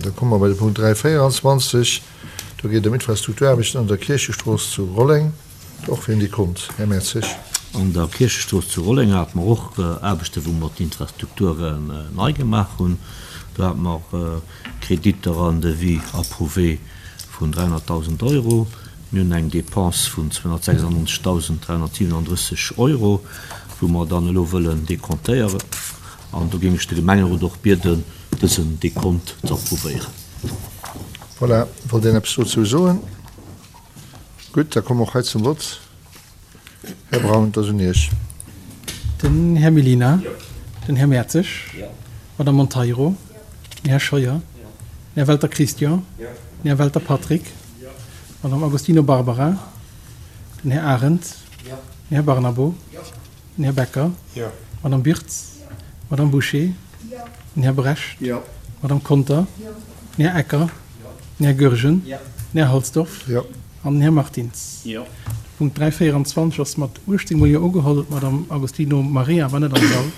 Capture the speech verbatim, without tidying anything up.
da komme mer bei de Punkt dräi véieranzwanzeg. Do geet et ëm Infrastrukturaarbechten an der Kierchestrooss zu Rolleng. Och fir en Dekont, Här Mertzig. An der Kierchestrooss zu Rolleng hate mer och Aarbechten, wou mer d'Infrastrukturen nei gemaach hunn. Do hate mer Kreditter an Devis approuvé vun dräihonnertdausend Euro. Mir hunn eng Dépense vun zweehonnertsechsundneunzegtausenddräihonnertsiwenunddrësseg Euro, wou mer dann elo wëllen dekontéieren. An do géing ech de Gemengerot och bieden, dësen Dekont ze approuvéieren. Voilà, wollt een eppes dozou soen? Gutt, da komme mer och hei zum Vott. Här Braun, et ass un Iech. Den Här Mellina. Den Här Mertzig. D'Madame Monteiro. Den Här Scheuer. Den Här Welter Christian. Den Här Welter Patrick. D'Madame Agostino Barbara. Den Här Arendt. Den Här Barnabo. Den Här Becker. D'Madame Birtz. D'Madame Bouché. Den Här Brecht. D'Madame Conter. Den Här Ecker. Den Här Goergen. Den Här Halsdorf an den Här Martins. De Punkt dräi véierundzwanzeg ass mat uechtzéng mol Jo ugeholl. D'Madame Agostino Maria war net am Sall.